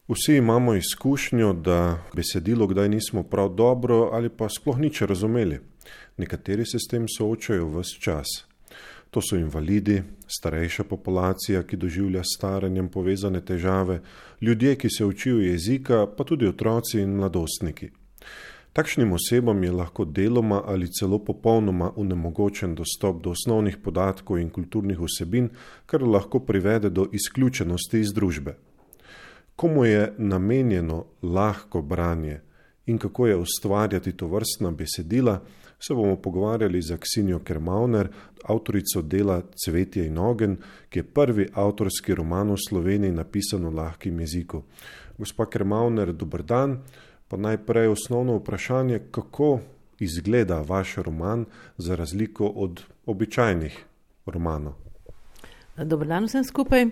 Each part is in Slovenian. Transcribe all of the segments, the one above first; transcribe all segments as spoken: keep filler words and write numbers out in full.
Vsi imamo izkušnjo, da besedilo kdaj nismo prav dobro ali pa sploh nič razumeli. Nekateri se s tem soočajo ves čas. To so invalidi, starejša populacija, ki doživlja s staranjem povezane težave, ljudje, ki se učijo jezika, pa tudi otroci in mladostniki. Takšnim osebam je lahko deloma ali celo popolnoma onemogočen dostop do osnovnih podatkov in kulturnih vsebin, kar lahko privede do izključenosti iz družbe. Komu je namenjeno lahko branje in kako je ustvarjati tovrstna besedila, se bomo pogovarjali z Aksinjo Kermauner, avtorico dela Cvetje in ogenj, ki je prvi avtorski roman v Sloveniji napisan v lahkem jeziku. Gospa Kermauner, dober dan. Pa najprej osnovno vprašanje, kako izgleda vaš roman za razliko od običajnih romanov? Dober dan vsem skupaj.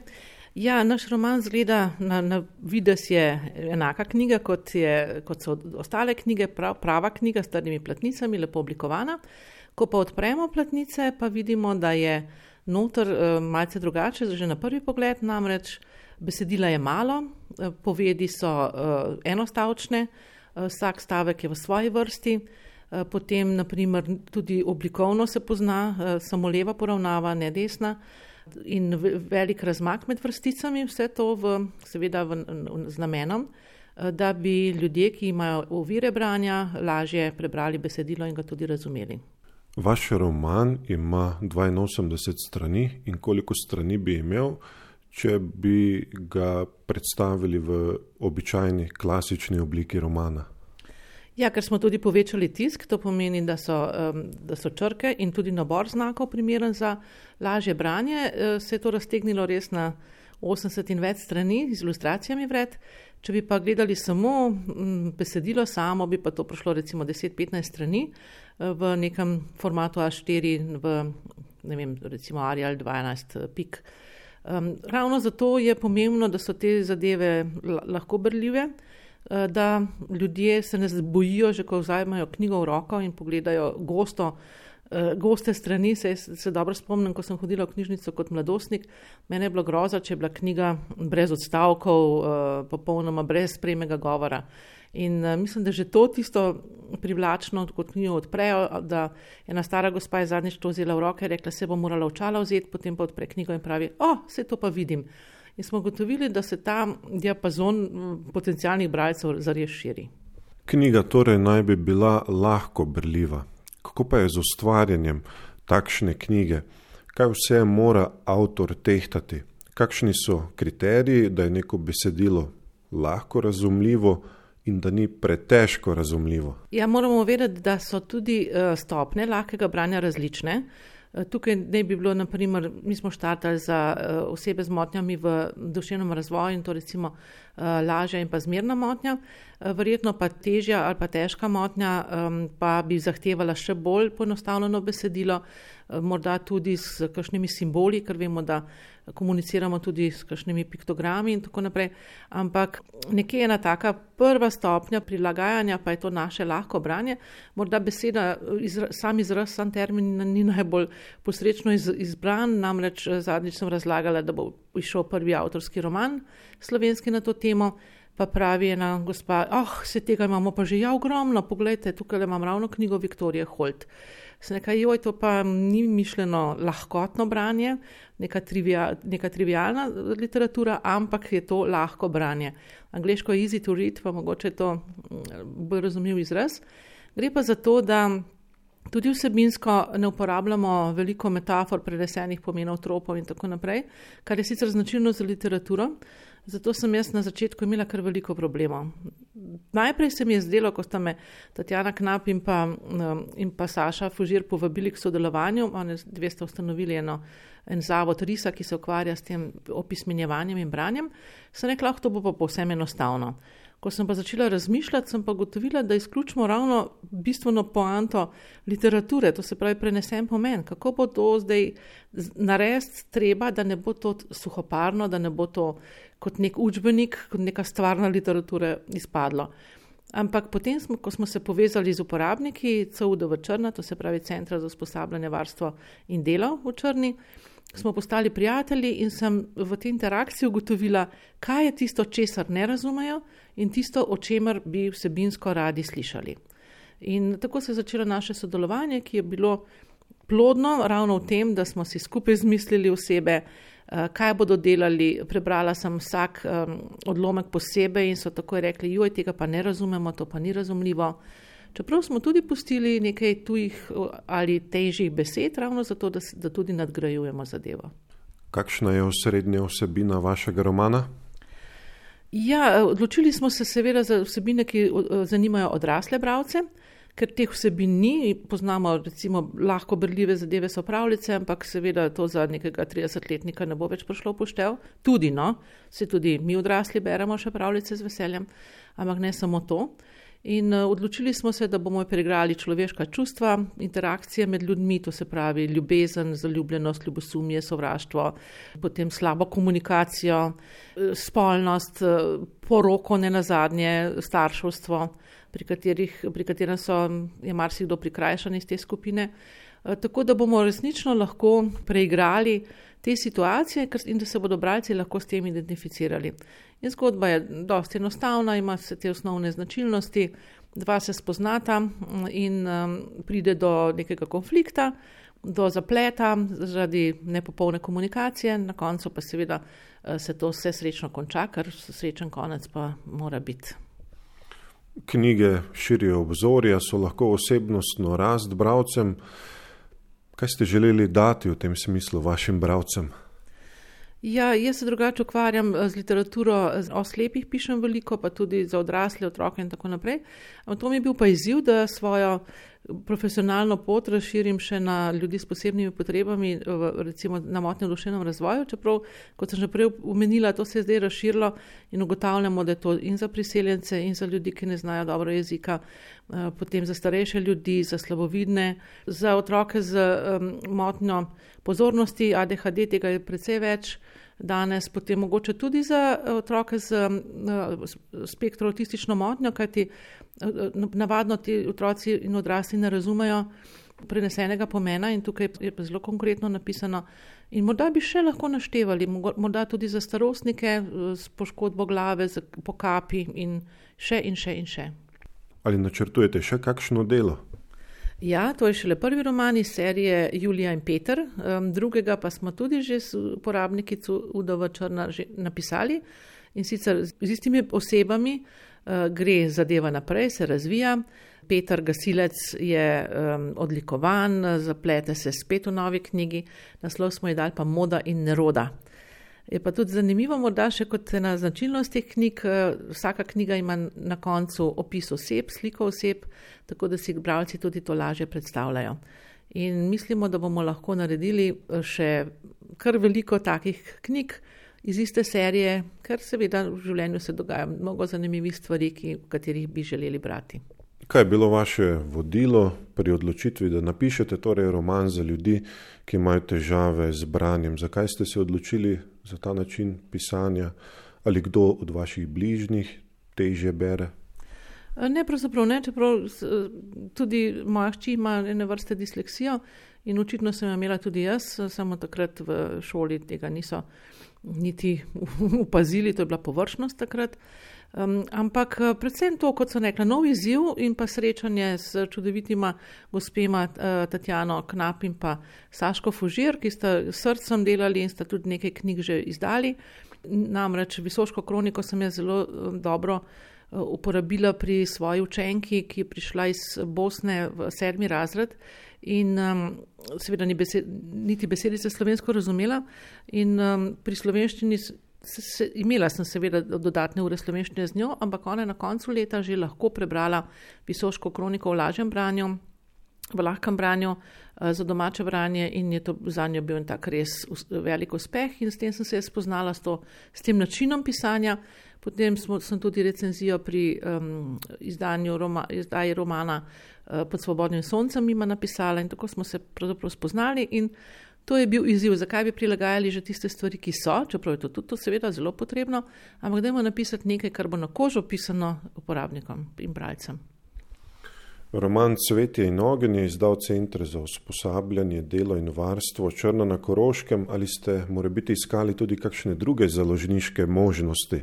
Ja, naš roman zgleda, na, na vides je enaka knjiga, kot, je, kot so ostale knjige, prav, prava knjiga s trdimi platnicami, lepo oblikovana. Ko pa odpremo platnice, pa vidimo, da je noter uh, malce drugače, že na prvi pogled, namreč besedila je malo, uh, povedi so uh, enostavčne, uh, vsak stavek je v svoji vrsti, uh, potem naprimer tudi oblikovno se pozna, uh, samo leva poravnava, ne desna, in velik razmak med vrsticami, vse to v, seveda v, v, z namenom, da bi ljudje, ki imajo ovire branja, lažje prebrali besedilo in ga tudi razumeli. Vaš roman ima dvainosemdeset strani in koliko strani bi imel, če bi ga predstavili v običajni klasični obliki romana? Ja, ker smo tudi povečali tisk, to pomeni, da so, um, da so črke in tudi nabor znakov primeren za lažje branje. Se je to raztegnilo res na osemdeset in več strani z ilustracijami vred. Če bi pa gledali samo um, besedilo samo, bi pa to prišlo recimo deset do petnajst strani v nekem formatu A štiri, v ne vem, recimo Arial dvanajst pik. Um, ravno zato je pomembno, da so te zadeve lahko berljive, da ljudje se ne bojijo, že ko vzajmajo knjigo v roko in pogledajo gosto, goste strani. Se, se dobro spomnim, ko sem hodila v knjižnico kot mladostnik, mene je bilo groza, če je bila knjiga brez odstavkov, popolnoma brez premega govora. In mislim, da že to tisto privlačno, kot knjigo odprejo, da ena stara gospa je zadnjič to vzela v roke, rekla, se bo morala očala vzeti, potem pa odpre knjigo in pravi, o, se to pa vidim. In smo gotovili, da se ta diapazon potencialnih bralcev zares širi. Knjiga torej naj bi bila lahko berljiva. Kako pa je z ustvarjanjem takšne knjige? Kaj vse mora avtor tehtati? Kakšni so kriteriji, da je neko besedilo lahko razumljivo in da ni pretežko razumljivo? Ja, moramo vedeti, da so tudi stopnje lahkega branja različne. Tukaj ne bi bilo, naprimer, mi smo štartali za osebe z motnjami v duševnem razvoju in to recimo lažja in pa zmerna motnja, verjetno pa težja ali pa težka motnja pa bi zahtevala še bolj poenostavljeno besedilo, morda tudi s kakšnimi simboli, ker vemo, da komuniciramo tudi s kakšnimi piktogrami in tako naprej, ampak nekje ena taka prva stopnja prilagajanja pa je to naše lahko branje. Morda beseda, izra, sam izraz, sam termin ni najbolj posrečno iz, izbran, namreč zadnjič sem razlagala, da bo išel prvi avtorski roman slovenski na to temo, pa pravi ena gospa, oh, se tega imamo pa že ja ogromno, poglejte, tukaj imam ravno knjigo Viktorije Holt. Se nekaj, joj, to pa ni mišljeno lahkotno branje, neka, trivia, neka trivialna literatura, ampak je to lahko branje. Angleško je easy to read, pa mogoče je to bolj razumljiv izraz. Gre pa za to, da tudi vsebinsko ne uporabljamo veliko metafor, prenesenih pomenov, tropov in tako naprej, kar je sicer značilno za literaturo. Zato sem jaz na začetku imela kar veliko problemov. Najprej se mi je zdelo, ko sta me Tatjana Knap in pa, in pa Saša Fužir povabili k sodelovanju, oni dve sta ustanovili eno, en zavod Risa, ki se ukvarja s tem opismenjevanjem in branjem, sem rekla, to bo pa povsem enostavno. Ko sem pa začela razmišljati, sem pa gotovila, da izključimo ravno bistveno poanto literature, to se pravi prenesen pomen. Kako bo to zdaj narediti treba, da ne bo to suhoparno, da ne bo to kot nek učbenik, kot neka stvarna literatura izpadlo. Ampak potem, smo, ko smo se povezali z uporabniki C U D V Črna, to se pravi Centra za usposabljanje, varstvo in delo v Črni, smo postali prijatelji in sem v tej interakciji ugotovila, kaj je tisto, česar ne razumejo in tisto, o čemer bi vsebinsko radi slišali. In tako se je začelo naše sodelovanje, ki je bilo plodno ravno v tem, da smo si skupaj zmislili osebe, kaj bodo delali. Prebrala sem vsak um, odlomek posebej in so takoj rekli, joj, tega pa ne razumemo, to pa ni razumljivo. Čeprav smo tudi pustili nekaj tujih ali težjih besed, ravno zato, da, da tudi nadgrajujemo zadevo. Kakšna je osrednja vsebina vašega romana? Ja, odločili smo se seveda za vsebine, ki zanimajo odrasle bralce, ker teh vsebin ni, poznamo recimo lahko berljive zadeve so pravljice, ampak seveda to za nekega tridesetletnika ne bo več prišlo v poštev. Tudi, no, se tudi mi odrasli beremo še pravljice z veseljem, ampak ne samo to. In uh, odločili smo se, da bomo preigrali človeška čustva, interakcije med ljudmi, to se pravi ljubezen, zaljubljenost, ljubosumje, sovraštvo, potem slabo komunikacijo, spolnost, poroko, nenazadnje, starševstvo, pri, katerih, pri katerem so, je marsikdo prikrajšan iz te skupine. Uh, tako da bomo resnično lahko preigrali te situacije in da se bodo bralci lahko s tem identificirali. In zgodba je dosti enostavna, ima se te osnovne značilnosti, dva se spoznata in um, pride do nekega konflikta, do zapleta zaradi nepopolne komunikacije, na koncu pa seveda se to vse srečno konča, ker srečen konec pa mora biti. Knjige širijo obzorja, so lahko osebnostno rast bralcem. Kaj ste želeli dati v tem smislu vašim bralcem? Ja, jaz se drugače ukvarjam z literaturo o slepih, pišem veliko, pa tudi za odrasle, otroke in tako naprej. To mi je bil pa izziv, da svojo profesionalno pot razširim še na ljudi s posebnimi potrebami, recimo na motnje v duševnem razvoju, čeprav, kot sem že prej omenila, to se je zdaj razširilo in ugotavljamo, da je to in za priseljence, in za ljudi, ki ne znajo dobro jezika, potem za starejše ljudi, za slabovidne, za otroke z motnjo pozornosti, A D H D, tega je precej več danes, potem mogoče tudi za otroke z spektro avtistično motnjo, kajti navadno ti otroci in odrasli ne razumejo prenesenega pomena in tukaj je pa zelo konkretno napisano. In morda bi še lahko naštevali, morda tudi za starostnike s poškodbo glave, z pokapi in še in še in še. Ali načrtujete še kakšno delo? Ja, to je šele prvi roman iz serije Julija in Peter, drugega pa smo tudi že s uporabniki C U D V Črna že napisali in sicer z istimi osebami gre zadeva naprej, se razvija. Peter Gasilec je um, odlikovan, zaplete se spet v novi knjigi, naslov smo ji dali pa Moda in neroda. Je pa tudi zanimivo, morda še kot ena značilnost teh knjig, vsaka knjiga ima na koncu opis oseb, sliko oseb, tako da si bralci tudi to lažje predstavljajo. In mislimo, da bomo lahko naredili še kar veliko takih knjig iz iste serije, ker seveda v življenju se dogaja mnogo zanimivih stvari, ki, v katerih bi želeli brati. Kaj je bilo vaše vodilo pri odločitvi, da napišete torej roman za ljudi, ki imajo težave z branjem? Zakaj ste se odločili za ta način pisanja? Ali kdo od vaših bližnjih težje bere? Ne, pravzaprav ne, čeprav tudi moja hči ima ene vrste disleksijo in očitno sem imela tudi jaz, samo takrat v šoli tega niso niti upazili, to je bila površnost takrat. Um, ampak predvsem to, kot sem rekla, nov izziv in pa srečanje s čudovitima gospema uh, Tatjano Knap in pa Saško Fužir, ki sta srcem delali in sta tudi nekaj knjig že izdali. Namreč Visoško kroniko sem jaz zelo um, dobro uh, uporabila pri svoji učenki, ki je prišla iz Bosne v sedmi razred in um, seveda ni besed, niti besedice slovensko razumela in um, pri slovenščini Se, se, imela sem seveda dodatne ure slovenščine z njo, ampak ona je na koncu leta že lahko prebrala Visoško kroniko v lažjem branju, v lahkem branju za domače branje in je to za njo bil en tak res velik uspeh in s tem sem se spoznala s, to, s tem načinom pisanja. Potem smo, sem tudi recenzijo pri um, izdanju roma, izdaji romana uh, Pod svobodnim soncem ima napisala in tako smo se pravzaprav spoznali in To je bil izziv, zakaj bi prilagajali že tiste stvari, ki so, čeprav je to tudi to seveda zelo potrebno, ampak dajmo napisati nekaj, kar bo na kožo pisano uporabnikom in bralcem. Roman Cvetje in ogenj je izdal Center za usposabljanje, delo in varstvo Črna na Koroškem. Ali ste morebiti iskali tudi kakšne druge založniške možnosti?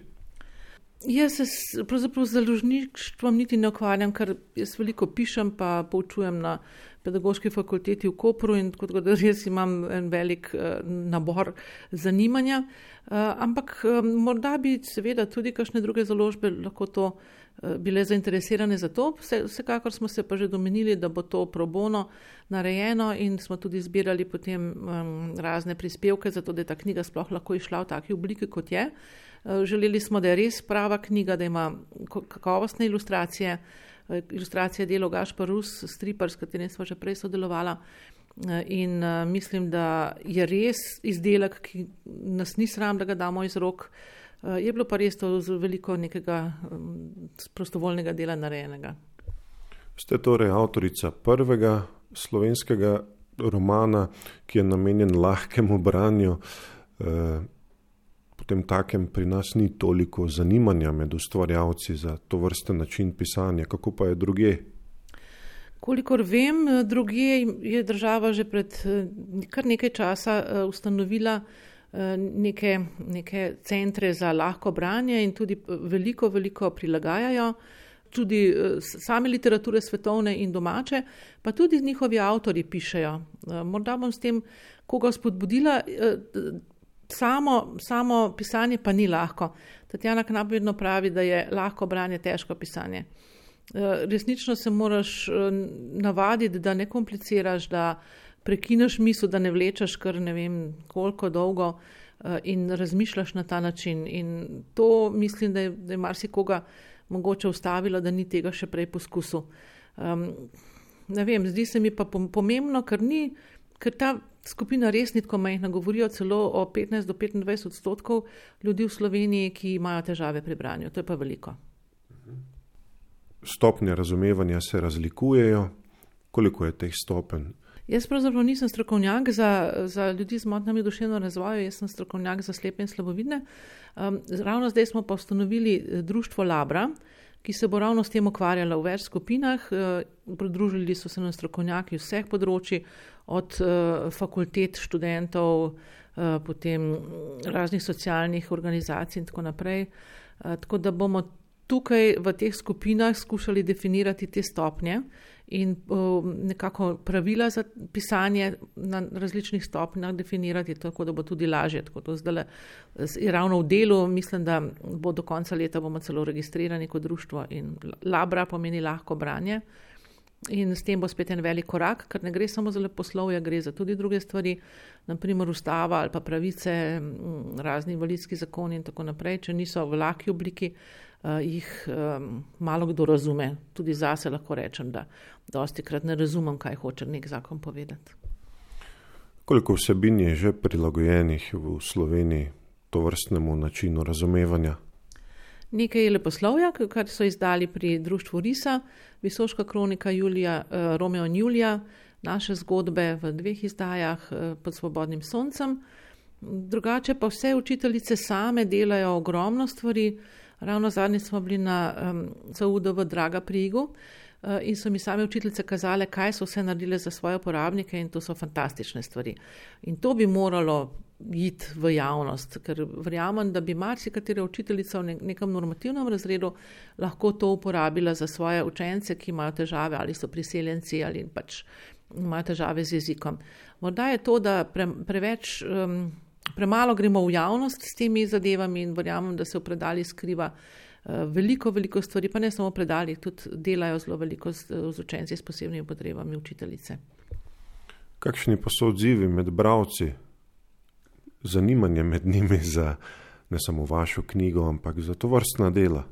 Jaz se pravzaprav z založništvom niti ne ukvarjam, ker jaz veliko pišem, pa poučujem na pedagoški fakulteti v Kopru in tako da res imam en velik nabor zanimanja. Ampak morda bi seveda tudi kakšne druge založbe lahko to bile zainteresirane za to. Vsekakor smo se pa že domenili, da bo to pro bono narejeno in smo tudi zbirali potem razne prispevke, zato da je ta knjiga sploh lahko išla v taki obliki, kot je. Želeli smo, da je res prava knjiga, da ima kakovostne ilustracije, ilustracije delo Gašpar Rus, stripar, s katerim smo že prej sodelovala. In mislim, da je res izdelek, ki nas ni sram, da ga damo iz rok. Je bilo pa res to z veliko nekega prostovoljnega dela narejenega. Ste torej avtorica prvega slovenskega romana, ki je namenjen lahkemu branju. Potem takem pri nas ni toliko zanimanja med ustvarjalci za to vrsten način pisanja. Kako pa je drugje? Kolikor vem, drugje je država že pred kar nekaj časa ustanovila neke, neke centre za lahko branje in tudi veliko, veliko prilagajajo. Tudi same literature svetovne in domače, pa tudi njihovi avtori pišejo. Morda bom s tem koga spodbudila, samo, samo pisanje pa ni lahko. Tatjana Knap vedno pravi, da je lahko branje težko pisanje. Resnično se moraš navaditi, da ne kompliciraš, da prekineš misel, da ne vlečeš kar ne vem koliko dolgo in razmišljaš na ta način. In to mislim, da je, da je marsikoga mogoče ustavilo, da ni tega še prej poskusil. Um, ne vem, zdi se mi pa pomembno, ker ni, ker ta skupina res ni tako majhna, govorijo celo o petnajst do petindvajset odstotkov ljudi v Sloveniji, ki imajo težave pri branju. To je pa veliko. Stopnje razumevanja se razlikujejo. Koliko je teh stopenj? Jaz pravzaprav nisem strokovnjak za, za ljudi z motnjami duševnega razvoja, jaz sem strokovnjak za slepe in slabovidne. Um, ravno zdaj smo pa ustanovili društvo Labra, ki se bo ravno s tem ukvarjalo v več skupinah. Uh, pridružili so se nam strokovnjaki vseh področji, od uh, fakultet, študentov, uh, potem raznih socialnih organizacij in tako naprej. Uh, tako da bomo tukaj v teh skupinah skušali definirati te stopnje in uh, nekako pravila za pisanje na različnih stopnjah definirati, tako da bo tudi lažje. Tako to zdaj je ravno v delu, mislim, da bo do konca leta bomo celo registrirani kot društvo in Labra pomeni lahko branje. In s tem bo spet en velik korak, ker ne gre samo za leposlovje, gre za tudi druge stvari, naprimer ustava ali pa pravice, razni invalidski zakoni in tako naprej. Če niso v lahki obliki, uh, jih um, malo kdo razume. Tudi zase lahko rečem, da dostikrat ne razumem, kaj hoče nek zakon povedati. Koliko vsebin je že prilagojenih v Sloveniji to vrstnemu načinu razumevanja? Nekaj je leposlovja, kar so izdali pri društvu Risa, Visoška kronika Julija, Romeo in Julija, naše zgodbe v dveh izdajah pod svobodnim soncem. Drugače pa vse učiteljice same delajo ogromno stvari. Ravno zadnji smo bili na um, C U D V Draga pri Igu uh, in so mi same učiteljice kazale, kaj so vse naredile za svoje uporabnike in to so fantastične stvari. In to bi moralo iti v javnost, ker verjamem, da bi marsikatera učiteljica v nekem normativnem razredu lahko to uporabila za svoje učence, ki imajo težave ali so priseljenci ali pač imajo težave z jezikom. Morda je to, da pre, preveč, um, premalo gremo v javnost s temi zadevami in verjamem, da se v predalih skriva uh, veliko, veliko stvari, pa ne samo v predalih, tudi delajo zelo veliko z, z učenci s posebnimi potrebami učiteljice. Kakšni pa so odzivi med bralci? Zanimanje med njimi za ne samo vašo knjigo, ampak za to vrstna dela?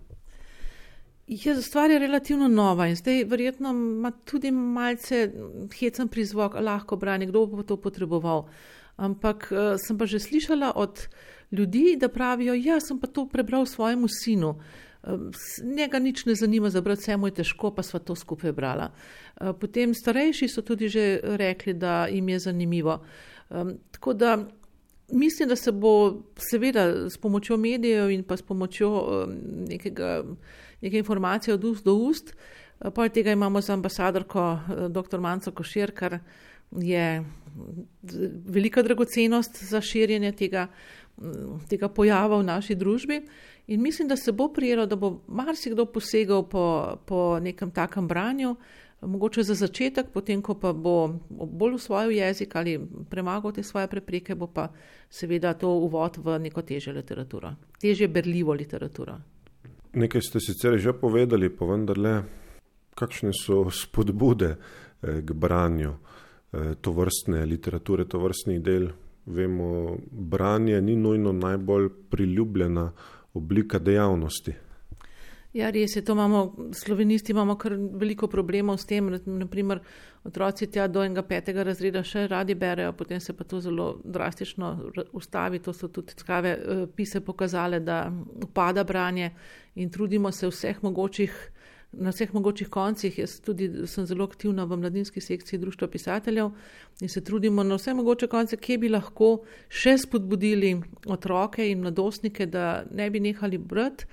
Je, stvar je relativno nova in zdaj verjetno ima tudi malce hecen prizvok, lahko branje, kdo bo to potreboval. Ampak uh, sem pa že slišala od ljudi, da pravijo, ja, sem pa to prebral svojemu sinu. Uh, njega nič ne zanima za brati, vse mu je težko, pa sva to skupaj brala. Uh, potem starejši so tudi že rekli, da jim je zanimivo. Um, tako da mislim, da se bo seveda s pomočjo medijev in pa s pomočjo um, nekega, neke informacije od ust do ust. Poleg tega imamo za ambasadorko dr. Manco Košir, kar je velika dragocenost za širjenje tega, tega pojava v naši družbi. In mislim, da se bo prijelo, da bo marsikdo posegal po, po nekem takem branju, mogoče za začetek, potem ko pa bo bolj usvojil jezik ali premagal te svoje prepreke, bo pa seveda to uvod v neko težjo literaturo, težje berljivo literaturo. Nekaj ste sicer že povedali, pa vendarle, kakšne so spodbude k branju tovrstne literature, tovrstnih del? Vemo, branje ni nujno najbolj priljubljena oblika dejavnosti. Ja, res je, to imamo, slovenisti imamo kar veliko problemov s tem, naprimer otroci tja do enega petega razreda še radi berejo, potem se pa to zelo drastično ustavi, to so tudi tkave pise pokazale, da upada branje in trudimo se vseh mogočih, na vseh mogočih koncih. Jaz tudi sem zelo aktivna v mladinski sekciji Društva pisateljev in se trudimo na vse mogoče konce, kje bi lahko še spodbudili otroke in mladostnike, da ne bi nehali brati.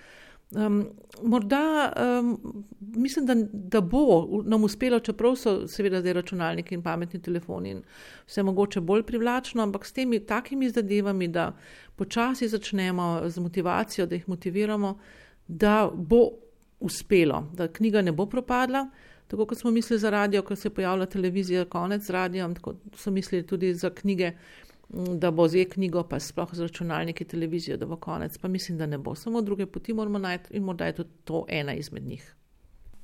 Um, morda um, mislim, da, da bo nam uspelo, čeprav so seveda zdaj računalniki in pametni telefoni in vse mogoče bolj privlačno, ampak s temi takimi zadevami, da počasi začnemo z motivacijo, da jih motiviramo, da bo uspelo, da knjiga ne bo propadla, tako kot smo mislili za radio, ko se je pojavila televizija, konec z radijem, tako so mislili tudi za knjige, da bo z e-knjigo, pa sploh z računalniki, televizijo, da bo konec, pa mislim, da ne bo. Samo druge poti moramo najti in morda je tudi to ena izmed njih.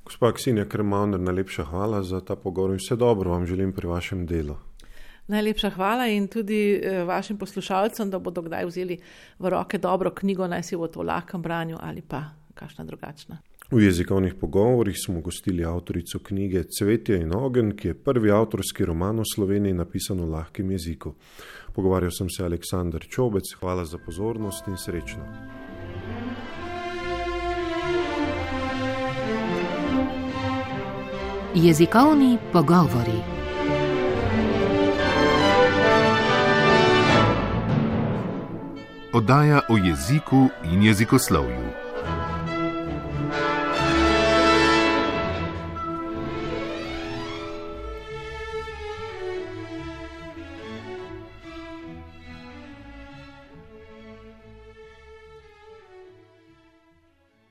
Gospa Ksenija Krmauner, najlepša hvala za ta pogovor in vse dobro vam želim pri vašem delu. Najlepša hvala in tudi vašim poslušalcem, da bodo kdaj vzeli v roke dobro knjigo, naj si bo to v lahkem branju ali pa kakšna drugačna. V jezikovnih pogovorih smo gostili avtorico knjige Cvetje in ogenj, ki je prvi avtorski roman v Sloveniji napisan v lahkem jeziku. Pogovarjal sem se Aleksander Čobec. Hvala za pozornost in srečno. Jezikovni pogovori. Oddaja o jeziku in jezikoslovju.